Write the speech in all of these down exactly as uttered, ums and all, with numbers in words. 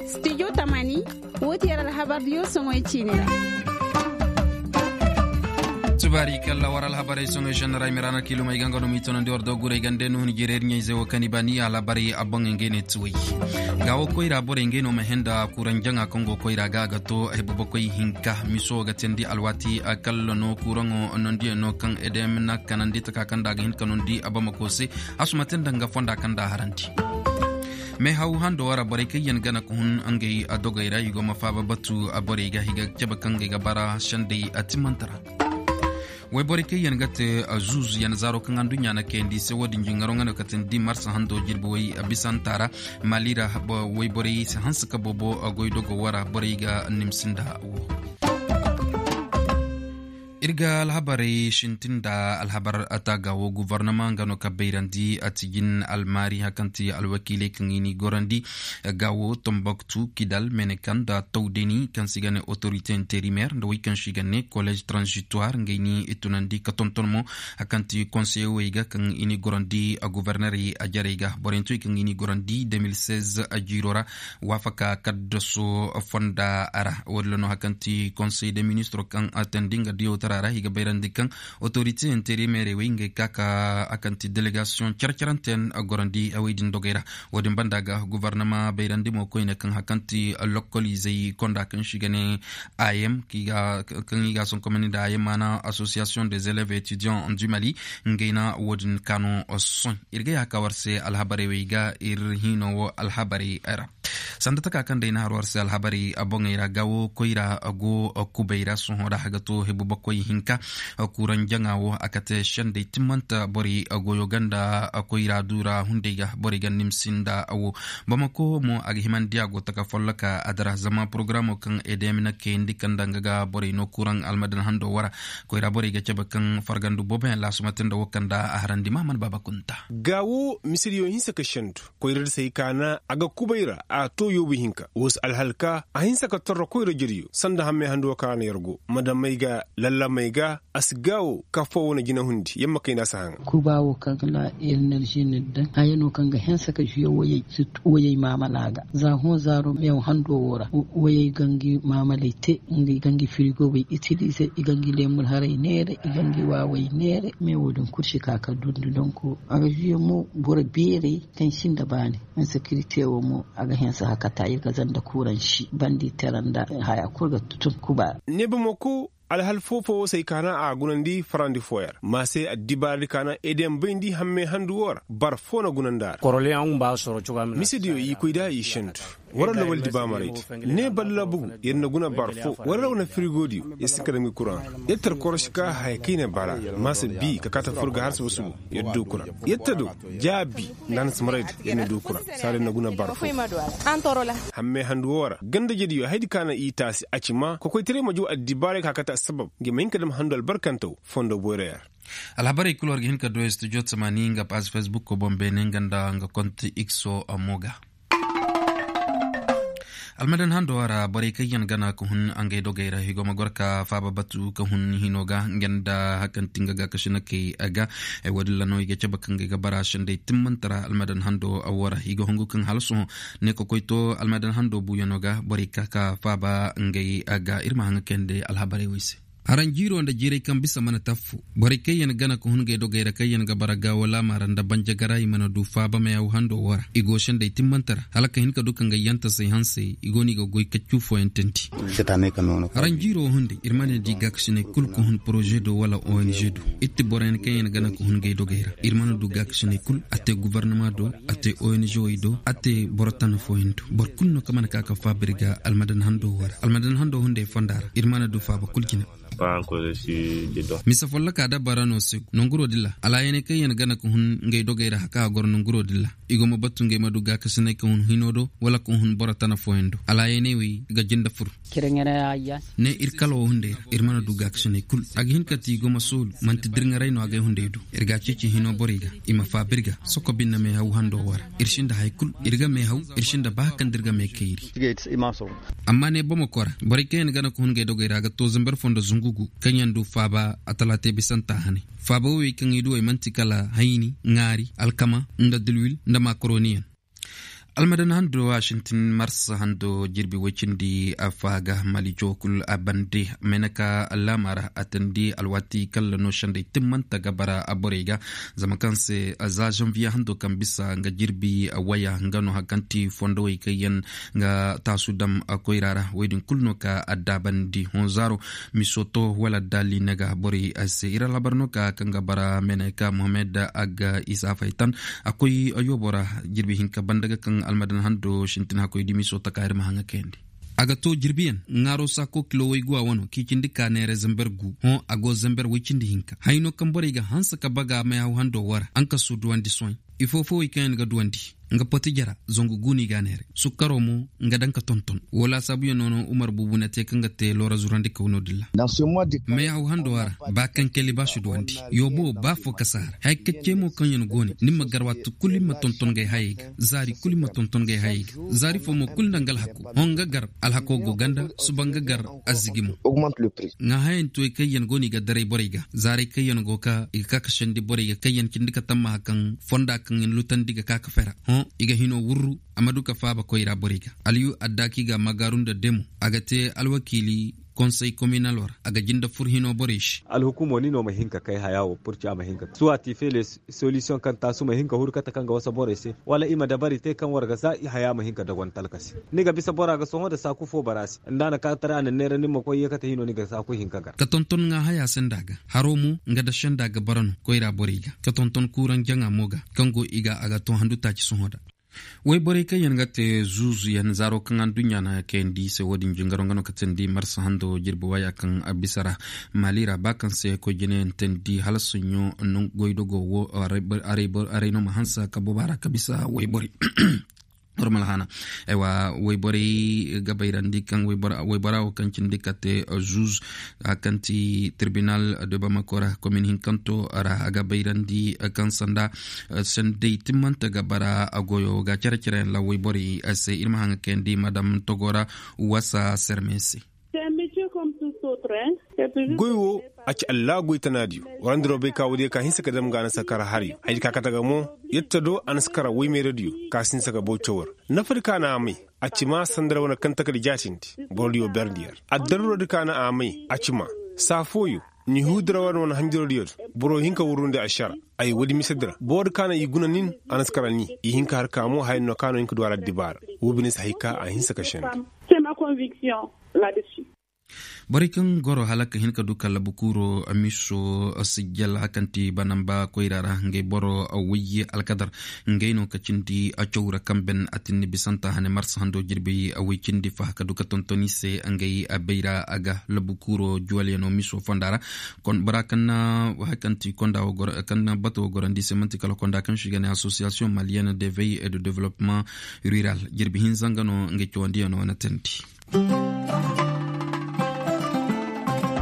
Studio tamani, wo ti yar alhabar diyo soŋoy ciine ra. Tubaari kalla war alhabarey soŋoy shannaray mirana kilomey ganga no mi tonandi war do guray gande no ni jireer ɲayze wo kani bani alhabarey abbaŋ ngey ne tuway. Ga wo koyra borey ngey no ma henda kuran jaŋa kaŋ go koyra ga ga to ay bobokoy hinka miso ga tendi alwati kalla no kuraŋo nondiyaŋ no kaŋ edem na kanandi taka kaŋ da ga hin ka nondi abamako se. Asuma te nda nga fonda kaŋ da harandi. Meehaw hando ra borey kaŋ yaŋ gana ka hun ngey dogey ra i go ma faaba batu borey ga i ga cabe kaŋ ngey ga bara sendey a timmante ra. Wayborey kaŋ yaŋ ga te zuuzu yaŋ zaaro kaŋ anduɲɲa na kayandi se wo-din jingaro nga no ka tindi marsa hando jirbi way bisanta ra. Mali ra wayborey si hanse ka boobo goy dogo wo ra borey ga nimsi nda wo. Iri ga alhabarey sintin nda alhabar taaga wo guvarnama nga no ka bayrandi a tijin almaari hari kaŋ ti alwakiiley kaŋ i n'i gorandi ga wo tomboktu kidal menekan nda tawdeni kaŋ se i ga ne autorité intérimaire nda wey kaŋ se i ga ne collège transitoire ngey n'i tunandi ka tonton mo hari kaŋ ti conseiller wey ga kaŋ i n'i gorandi guvernerey jarey ga borey nti wey kaŋ i n'i gorandi deux mille seize jiiro ra. Waafaka kaddaso fonda ra wo-din ra no hari kaŋ ti conseil de ministre kaŋ a teendi nga diyawtara ra i ga bayrandi kaŋ autorité intérimaire wey ngey ka ka hari kaŋ ti délégation care-carante yaŋ gorandi wey din dogey ra. Wo-din banda ga guvarnama bayrandi mo koyne kaŋ hari kaŋ ti lokoliizey konda kaŋ se i ga ne ayem kaŋ i ga a sonkomandi nda ayem maana association des élèves étudiants du mali. Ngey na wo-din kaanu sohõ iri ga yaaka war se alhabarey wey ga iri hino wo alhabarey ra. Sanda taka kaŋ day na har war se alhabarey boŋey ra ga wo koyra go kubay ra sohõ ra ga to hebu bakoy hinka. Kuran jaŋa wo a kate sendey timmanta borey goyo ganda koyra du ra hunday ga borey ga nimsi nda wo. Bamako mo a ga himandi a go taka folloka a dira zama porogaraamo kaŋ edm na kayandi kaŋ da nga ga borey no kuran almadan hando wara. Koyra borey ga cabe kaŋ fargandu boobo yaŋ laasumante nda wo kaŋ da a harandi mahaman baaba kunta. Ga wo misiriyo hinse ka sendu koyra da se ay kaana a ga kubay ra a to yoobu hinka wo si alhalka a hinse ka torro koyra jariyo sanda hammay handu wo kaŋ a na yar go ma daŋ may ga lalla may ga a si gaawo ka fo wo na jina hundi yamma kayna si haŋa. Kuba wo kaŋ ga na enerzi ni daŋ haya no kaŋ ga hense ka zuyo wayey maamala ga za hõ zaaro meew hando wo ra. Wayey gangi maamaley te i gangi firigo bay itilize i gangi leemul haray neere i gangi waawey neere. Me wo din kulu si ka ka dundi donko a ga zuyo mo boro beerey kaŋ sinda baani. Insekirite wo mo a ga hense hakata ir ga zanda kuuransi bandi tera nda haya kulu ga tutun kuba. Ne bamako alhal fo-fo wo se ay kaana a gunandi farandi fooyaŋ ra ma se addibaaradi kaana edm bayndi hamme handu wo ra boro fo na gunandi a ra. Misediyo i koy da i sendu wara lawal di baamaraydi ne balla bugu yer na guna boro fo wara rawna firigodiyo yer si ka dam ga kuraŋ ra yer tar korosi ka haya kaŋ i na bara ma se bi ka kaata fur ga har suba-suba. Yer du kuraŋ yer ta do jaabi nda a na si maray da yer na du kuraŋ saara yer na guna boro fo. Hamme handu wo ra ganda jediyo haydi kaana i taasi a ci ma kokoytaray ma ju addibaaray ka kate assabab nga ma hin ka dam handu albarkantaw fondo boyra yaŋ ra. Alhabarey kulu war ga hin ka du studio tamani nga paaz facebook ko boŋ beene nga nda nga konte x o mo ga. Almadan hando ra borey kaŋ yaŋ gana ka hun ngey dogey ra i go ma goro ka faaba batu ka hun hino ga nga nda hari kaŋ ti nga gaakasinakey ga. Wo-din ra no i ga cabe kaŋ ngey ga bara sendey timmante ra almadan hando wo ra i ga hungu kaŋ hala sohõ ne ka koy to almadan hando buuyano ga borey ka ka faaba ngey ga iri ma haŋa kayandi alhabarey wo i se. Haranjiiro nda jiirey kaŋ bisa mana taffo borey kaŋ yaŋ gana ka hun ngey dogey ra kaŋ yaŋ ga bara gaawo laama ra nda banjagara i mana du faaba meehaw hando wo ra i go sendey timmante ra hala ka hin ka du ka ngey yantasey hansey i go no i ga goy kaccu fooyaŋ teendi. Haranjiiro wo hunday iri mana di gaakasiney kulu ka hun poroze do wala ong do. Iri ti boro yaŋ kaŋ yaŋ gana ka hun ngey dogey ra iri mana du gaakasiney kulu a te guvarnama do a te ong wey do a te boro tana fooyaŋ do boro kulu no kaŋ mana ka ka faaba iri ga almadan hando wo ra almadan hando hunday fonda ra iri mana du faaba kulu jina. Mise folloka da bara no se nanguro din ra alaayaney kaŋ yaŋ gana ka hun ngey dogey ra hari kaŋ a goro nanguro din ra i go ma batu ngey ma du gaakasiney ka hun hino do wala ka hun boro tana fooyaŋ do alaayaney wey ga jinde fur. Ne iri kala wo hunday ra iri mana du gaakasiney kulu a ga hin ka ti i go ma soolu manti dirŋaray no a gay hunday do iri ga a ceeci hino borey ga i ma faaba iri ga soko binne meehaw hando wo ra iri sinda hari kulu iri ga meehaw iri sinda ba hari kaŋ da iri ga meekayri. Amma ne bamako ra borey kaŋ yaŋ gana ka hun ngey dogey ra a ga to zambar fondo zungu. Kaŋ yaŋ du faaba a talaate bisanta hane faaba woyey kaŋ i du ay manti kala hayni ŋaari alkama nda dilwil nda makaroni yaŋ. Almadan hando a sintin marsa hando jirbi way cindi a faaga malijo kulu a bande. Meneka laama ra a tandi alwaati kala no sendey timmanta ga bara a borey ga. Zama kaŋ se za zanviye hando kaŋ bisa nga jirbi waya nga no hari kaŋ ti fondo way kaŋ yaŋ ga taasu dam koyra ra wo- din kulu no ka addaabandi honzaaro misoto wala daali ne ga borey se iri alhabar no ka kaŋ ga bara meneka mohammed aga isa faytan a koy yoobo ra. Jirbi hinka banda ga kaŋ almadan hando sintin hakkoy dimiso taka iri ma haŋ ga kayandi. A ga to jirbiyaŋ ŋaaro saako kilo wayguwa wano kaŋ i cindi ka neera zamber gu hõ a go zamber way cindi hinka hayno kaŋ borey ga hanse ka baga meehaw hando wara haŋ ka su duwandi sohõ. Ifo fo way kaŋ yaŋ ga duwandi nga poti jara zangu gu no i ga a neeray sukkaro mo nga daŋ ka tonton wo laasaabuyaŋ no no umar buubu na te kaŋ ga te loora zurandi kaw no- din ra. Meehaw hando a ra ba kaŋ kay libaasi duwandi yoobo ba fo ka si a ra haya kacce mo kaŋ yaŋ go ne ni ma gar waati kulu ni ma tonton ngey hayey ga zaari kulu ni ma tonton ngey hayey ga zaari fo mo kulu nda nga alhako hõ nga gar alhako go ganda suba nga gar azigi mo. Ŋaahayaŋ tuwey kaŋ yaŋ go no i ga daray borey ga zaaray kaŋ yaŋ go ka i ga ka ka sendi borey ga kaŋ yaŋ cindi ka tammaha kaŋ fonda kaŋ yaŋ lutandi ga ka ka fera hõ i ga hino wurru a ma du ka faaba koyra borey ga. Aliyu addaaki ga magaaru nda demo a ga te alwakiili konsey kominalo ra a ga jinde fur hino borey se. Alhukumo ni no ma hin ka kay haya wo purci a ma hin ka suwati feele solisiyoŋ kaŋ taasu ma hin ka huru kate kaŋ ga wasa borey se wala i ma dabari te kaŋ war ga za haya ma hin ka dogon talka se. Ni ga bisa bora ga sohõ nda saaku fo bara se nda a na ka tara a na neera ni ma koy ye kate hino ni ga saaku hin ka gar. Ka tonton ŋaahaya senda ga haro mo nga da senda ga bara no koyra borey ga ka tonton kuuraŋ jaŋa mo ga kaŋ go i ga a ga to handu taaci sohõ da. Wayborey kaŋ yaŋ ga te zuuzuyaŋ zaaro kaŋ anduɲɲa na kayandi i se wo- din jingaro nga no ka teendi marsa hando jirbi waaya kaŋ a bisa ra maali ra ba kaŋ se koy jinayaŋ teendi hala soɲɲo goydogo wo. Aray no ma hanse ka boba ra ka bisa wayborey. Normal hana aywa wayborey ga bayrandi kaŋ waybora wo kaŋ cindi kate zuuz kaŋ ti tirbinal de bamako ra komin hinkanto ra a ga bayrandi kaŋ sanda sendey timmante ga bara a goyo ga care care yaŋ lawey borey se iri ma haŋ ga kayandi madam togo ra wasa serme se. Goy wo a ci allaagoy tanaadiyo. Warandi roobey ka woodiyo ka hinse ka dam ga a na si kara hariyo haydi ka kate ga mo. Yadda do a na si kara woymeeradiyo ka si hinse ga baw cawar nafa di ka na a may. A ci ma sanda ra wane kaŋ taka di jaatindi borodiyo berndi yar addaruro di ka na a may a ci ma saa fooyo. Ni huu dira wane wane hanjirodiyo do boro hin ka wurrundi a sara. Ay woodi mise dira boro di ka na i guna nin a na si kara ni i hin ka har ka mo haya no ka no hin ka du a ra dibaara. Wo bine si hay ka a hinse ka sende. Borey kaŋ goro hala ka hin ka du kala bukuuro miso sijjal hakanti banamba koyra ra ngey boro wayye alkadar. Ngey no ka cindi a cawra kaŋ ben a tinni bisanta hane marsa hando jirbi a way cindi faha ka du ka tontoni se ngey a bayra a ga labukuuro juwalyano miso fonda ra. Bora kaŋ na hakanti konda wo goro kaŋ na bato wo gorandi se manti kala konda kaŋ si ga ne association malienne de veille et de développement rural jirbi hinza nga no ngey cawandiyano na teendi.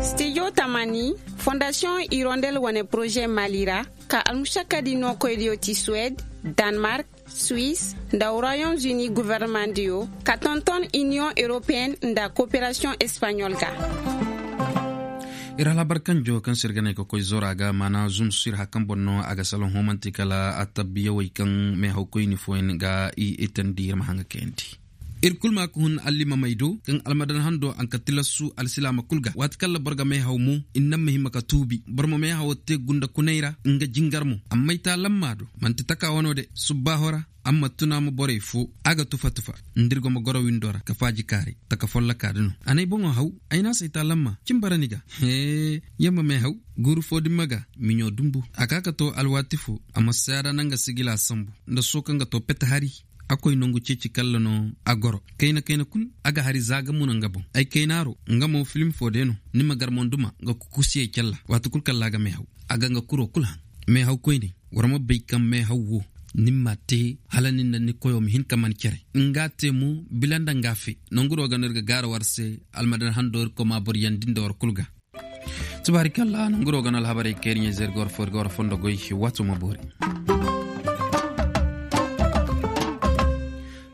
Studio tamani fondation hirondel wane projet mali ra ka almushakadi no koydiyo ti suwed, danemark, suisse, nda royaume-uni gouvernementdiyo ka tonton union européenne nda coopération espagnole ga. Iri halabar kanjo kaŋ sirganay ka koy zora ga mana zum sir hakan bonno a ga salon homanti kala a tabbiyaway kaŋ me hawkoyni foyen ga i itandi iri ma haŋa kayandi. Iri kulu ma ka hun allimamey do kaŋ almadan hando a na ka tilasu alsilaama kulu ga waati kaŋ labor ga meehaw mo. Innan ma hima ka tuubi boro ma meehawo te gunda kunay ra nga jingar mo amma ay ta lamma do manti taka wano de subbaaho ra. Amma tuna ma borey fo a ga tufa tufa nda iri go ma goro windo ra ka faaji kaaray taka folloka da no. A na ay boŋo haw ay na a si ay ta lamma cin bara ni ga. Hee yamma meehaw guuru fo dimma ga miɲo dumbu a ka ka to alwaati fo a ma saada nanga sigila sambu nda soo kaŋ ga to pete hari. A koy nangu ceeci kalla no a goro kayna kayna kulu. A ga hari za ga muna nga boŋ ay kaynaaro nga mo film fo day no ni ma gar monduma nga kukusiyey calla waati kulu kalla a ga meehaw. A ga nga kuro kulu haŋ meehaw koyne war ma bay kaŋ meehaw wo. Ni ma te hala nin da ni koyo ma hin ka man care nga te mo bila nda nga fe. Nangu do ga no iri ga gaara war se almadan hando iri koy ma boro yandi nda war kulu ga. Tubaari kalla nanguro ga no alhabarey kayri ɲayze iri ga war fo iri ga war fondo goy. Waato ma boori.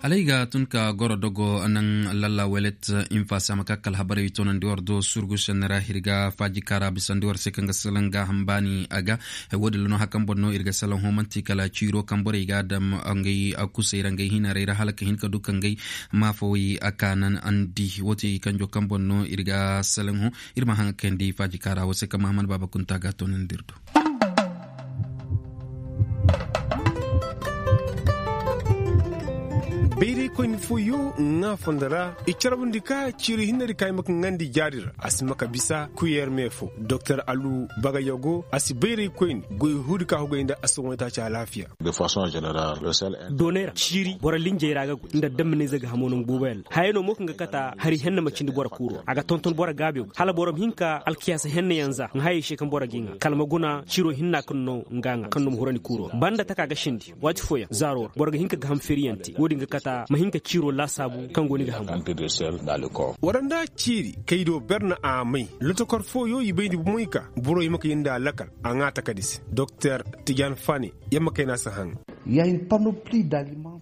Alay ga tun ka goro dogo naŋ lalla welet. Infaasi a ma ka kala habarey wi toonandi war do surgu senne ra hirga faaji kaara bisandi war se kaŋ ga salaŋ gaaham baani a ga. Wo- din lano hakan boŋ no iri ga salaŋ hõ manti kala ciiro kaŋ borey ga a daŋ ngey kusey ra ngey hinarey ra hala ka hin ka du ka ngey maafawey a kaanan andi wo- ti kanjo kaŋ boŋ no iri ga salaŋ hõ. Iri ma haŋ kayandi faaji kaara wo se kaŋ mahamman baaba kunta ga a toonandi iri do. Bayraykoyne fooyo ŋwa fondo ra i carbundi ka ciiri hinne di ka i ma ka ŋandi jaari ra a si ma ka bisa kuyeer me fo. Doktor alu bagayogo a si bayraykoyne goy huudi ka hugay nda a si ŋwaytaaci alaafiya. Doonay ra ciiri boro linjey ra ga goy nda damminayze ga hamo nangu boobo yaŋ ra hayey no mo kaŋ ga kata hari henne ma cindi boro kuuro a ga tonton boro gaabiyo ga hala boro ma hin ka alkiyaasa henne yaŋ za ŋwa hayey se kaŋ boro g'i ŋwa kala ma guna ciiro hinna kaŋ no nga ŋwa kaŋ no ma hurandi kuuro banda taka ga sindi. Waati fooyaŋ zaaro ra boro ga hin ka gaham feeriyaŋ te wo- din ga kata ma hin ka ciiro laasaabu kaŋ go ni ga hamu. Wara nda ciiri kay do berne a may lotokor fooyo i bayndi bomoy ka borey ma kay nda lakal a ŋwa takadi se. Doktor tijan fane yamma kayna si haŋ.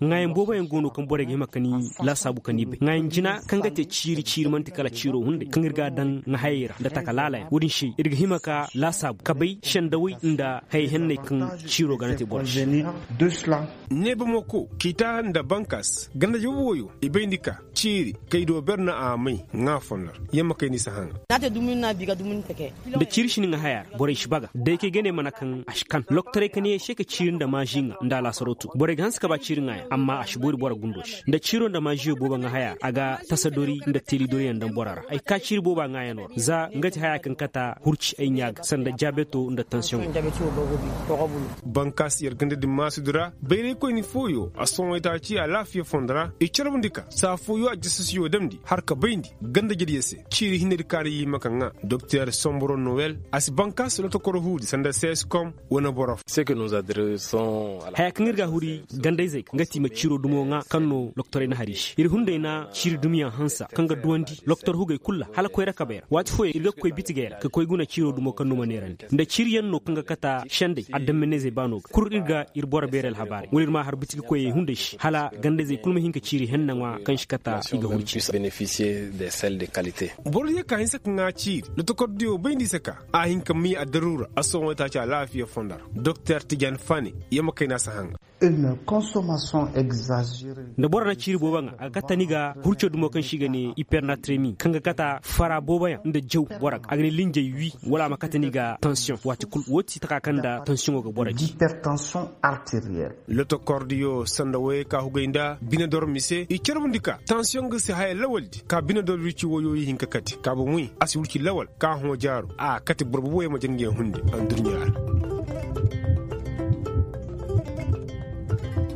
Ŋwaayaŋ boobo yaŋ go no kaŋ borey ga hima ka ni laasaabu ka ni bay ŋwaayaŋ jina kaŋ ga te ciiri ciiri manti kala ciiro hunday kaŋ iri ga a daŋ ŋwa hayey ra nda taka laala yaŋ wo- din se iri ga hima ka laasaabu ka bay sendawey nda hayey henney kaŋ ciiro ga na te boro se. Neebamo ko ciita nda bankaas ganda jabu wooyo i bayndi ka ciiri kay do berne a may ŋwa fondo ra. Yamma kay ni si haŋ. Nda ciiri si ni ŋwa haya ra borey si baga day kay gane mana kaŋ a si kan loktorey ka ne se ka ciiri nda maazi ŋwa nda a laasaro tu borey ga hanse ka ba ciiri ŋwa yaŋ amma a si boori boro gundo se nda ciiro nda maaziyo boobo ŋwa haya ra a ga tasa dori nda teeli dori yaŋ daŋ boro ra ay ga ka ciiri boobo a ŋwa yaŋo ra za nga ti haya kaŋ kata hurci ay ɲa ga sanda jaabeto nda tansiyoŋo. Bankaas yar ganda din maasudu ra bayraykoyne fooyo a sohõ itaaci alaafiya fondo ra i carbundi ka saa fooyo a jasasiyo damndi har ka bayndi ganda jadiya se. Ciiri hinne di kaara i ma ka ŋwa doktor somboro nowel a si bankaas lotokoro huudi sanda seeskom wane boro fo. Haya kaŋ iri ga a huri gandayzey ga nga ti i ma ciiro dumo ŋwa kaŋ no loktorey na hari se iri hunday na ciiri dumiyaŋ hansa kaŋ ga duwandi loktor hugey kulu ra hala koyra kabey ra waati fooyaŋ iri ga koy bitigey ra ka koy guna ciiro dumo kaŋ no ma neerandi nda ciiri yaŋ no kaŋ ga kata sendey addaminayzey baano ga kulu iri ga iri boro beeri alhabaarey wala iri ma a har bitigi koyey hunday se hala gandayzey kulu ma hin ka ciiri henna ŋwa kaŋ si kata i ga huru ciiri. Boro diya ka hinse ka ŋwa ciiri nda tokordiyo bayndi se ka a hin ka miya addaruura a sohõ itaaci alaafiya fondo ra doktor tijan fane yamma kayna si haŋ. Nda boro na ciiri boobo ŋwa a ga kata ni ga hurco dumo kaŋ se i ga ne hipernatremi kaŋ ga kata fara boobo yaŋ nda jaw boro ga a ga ne linjey wi wala a ma kata ni ga tansiyoŋ waati kulu wo ti taka kaŋ nda tansiyoŋo ga boro di. Lotokordiyo sanda wayey ka hugay nda bine doro mise i carbundi ka tansiyoŋ ga si haya lawaldi ka bine doro wirci wayo i hin ka kate ka bomoy a si wirci lawal ka hõ jaaro a kate boro boobo yaŋ ma jangey hunde. Anduruɲa ra.